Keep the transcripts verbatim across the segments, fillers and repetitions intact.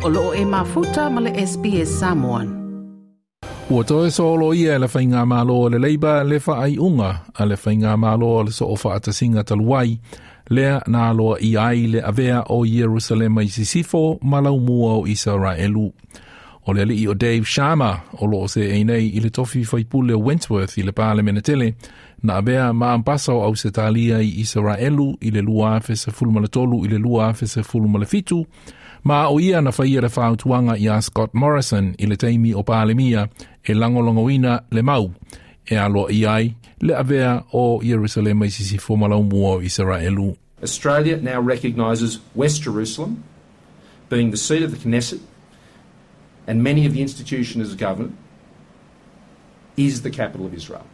O loo e mafuta ma le S B S Samoan. Ua toe solo ia e le whainga malo o le Labour le whaaiunga a le whainga malo o le so o whaatasinga taluai, lea na aloa i ai le avea o Ierusalema i sisifo ma laumua o Israelu. O le alii o Dave Sharma o loo se einei i le tofi faipule o Wentworth i le Palemene tele na avea ma ampasa o Ausetalia i Israelu i le lua afe sefulu ma le tolu i le lua afe sefulu ma le fitu, ma o ia na whaia le whautuanga i a Scott Morrison i le taimi o Palemia e langolongoina le mau e aloa i ai le avea o Ierusalema i sisifo ma laumua o Israelu. Australia now recognises West Jerusalem, being the seat of the Knesset and many of the institutions of government, is the capital of Israel.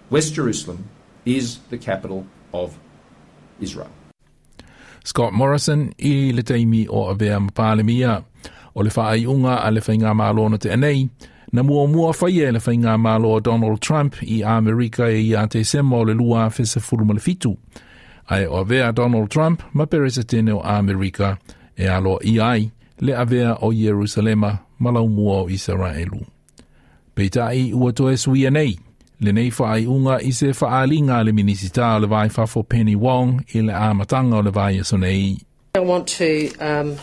West Jerusalem is the capital of Israel. Scott Morrison i le taimi o avea ma Palemia. O le whaaiunga a le whainga malo na te anei, na mua mua whaia le whainga malo o Donald Trump i Amerika e ia te sema o le lua afe sefulu ma le fitu. Ae o avea Donald Trump ma peresetene o Amerika e alo i ai le avea o Ierusalema ma laumua o Israelu. Peitai ua toe suia nei, le nei whaaiunga i se whaalinga le minisita o le vai fafo Penny Wong i le amatanga o le vai aso nei. I want to um,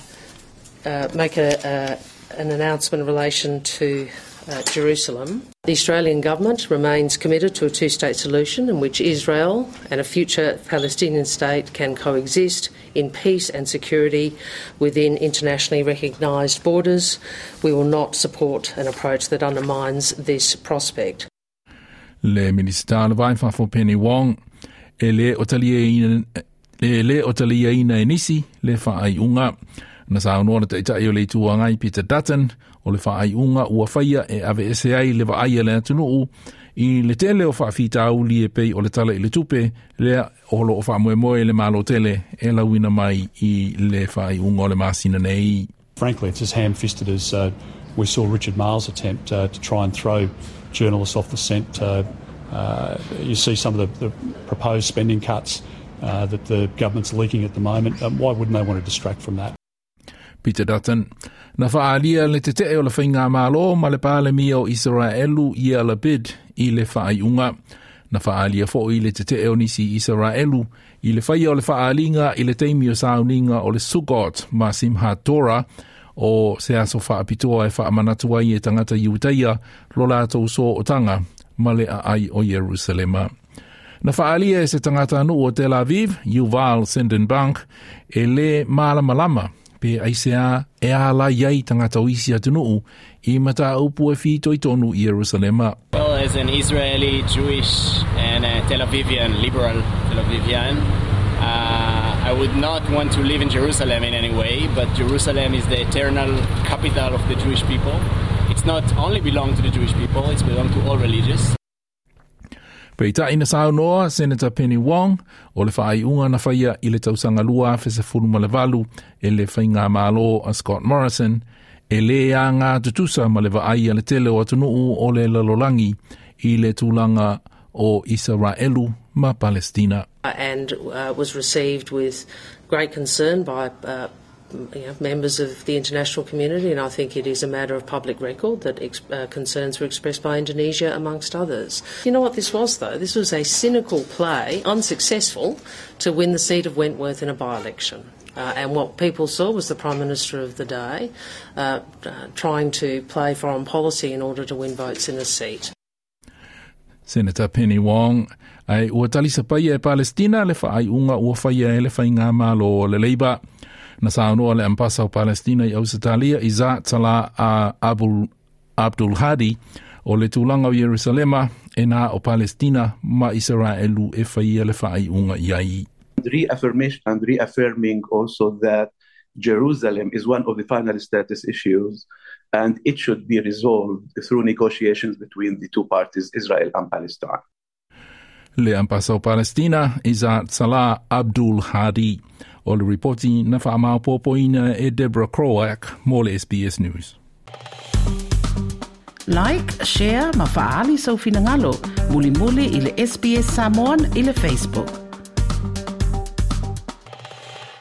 uh, make a, a, an announcement in relation to uh, Jerusalem. The Australian government remains committed to a two state solution in which Israel and a future Palestinian state can coexist in peace and security within internationally recognised borders. We will not support an approach that undermines this prospect. Le minisita o le vai fafo Penny Wong e le o talia e le o talia ina e nisi le whaaiunga. Na saunoa le taitai o le Itu Agai Peter Dutton o le whaaiunga ua whaia e ave ese ai le vaai le atunuu i le tele o whaafitauli e pei o le tala i le tupe lea o lo o whaamoemoe le malo tele e lauina mai i le whaaiunga o le masina nei. Frankly, it's as ham-fisted as uh, we saw Richard Marles attempt uh, to try and throw journalists off the scent. Uh, uh, you see some of the, the proposed spending cuts uh, that the government's leaking at the moment. Um, why wouldn't they want to distract from that? Peter Dutton. Na whaalia le tetee o le whainga malo ma le palemia o Israelu Yair Lapid i le whaaiunga. Na whaalia fo i le tetee o nisi Israelu i le whaia o le whaalinga i le teimi o sauninga o le Sukkot ma Simchat Torah o se aso whaapitoa e whaamanatua i e tangata Iutaia lo lātou so o tanga ma le ai o Jerusalema. Na whaalia e se tangata anu o Tel Aviv, Yuval Sendenbank, e le malamalama pe aisea e ala iai tangata o isi atunuu i mata upu e whito i tonu i Jerusalema. Well, as an Israeli, Jewish and a Tel Avivian, liberal Tel Avivian, uh, I would not want to live in Jerusalem in any way, but Jerusalem is the eternal capital of the Jewish people. It's not only belong to the Jewish people, it's belong to all religions. Peitai na saunoa Senator Penny Wong o le whaaiunga na whaia i le tausanga lua afe sefulu ma le valu e le whainga malo a Scott Morrison e le a ngā tutusa ma le vaai a le tele o atunuu o le lalolangi i le tulaga o Israelu ma Palestina. And uh, was received with great concern by uh, you know, members of the international community, and I think it is a matter of public record that ex- uh, concerns were expressed by Indonesia, amongst others. You know what this was, though? This was a cynical play, unsuccessful, to win the seat of Wentworth in a by election. Uh, and what people saw was the Prime Minister of the day uh, uh, trying to play foreign policy in order to win votes in a seat. Senator Penny Wong ai ua talisa paia e Palestina le whaaiunga ua whaia e le whainga malo o le Labour. Na saunoa le ampasa o Palestina i Ausetalia Izzat Salah a Abul, Abdul Hadi o le tulaga o Jerusalema e nā o Palestina ma Israelu e whaia le whaaiunga i ai. Reaffirmation and reaffirming also that Jerusalem is one of the final status issues and it should be resolved through negotiations between the two parties, Israel and Palestine. Le ampasa o Palestina Izzat Salah Abdul Hadi o le ripoti na whaamaupopoina e Deborah Croak mo le S B S News. Like, share ma faali sau finangalo. Muli muli i le S B S Samoan i le Facebook.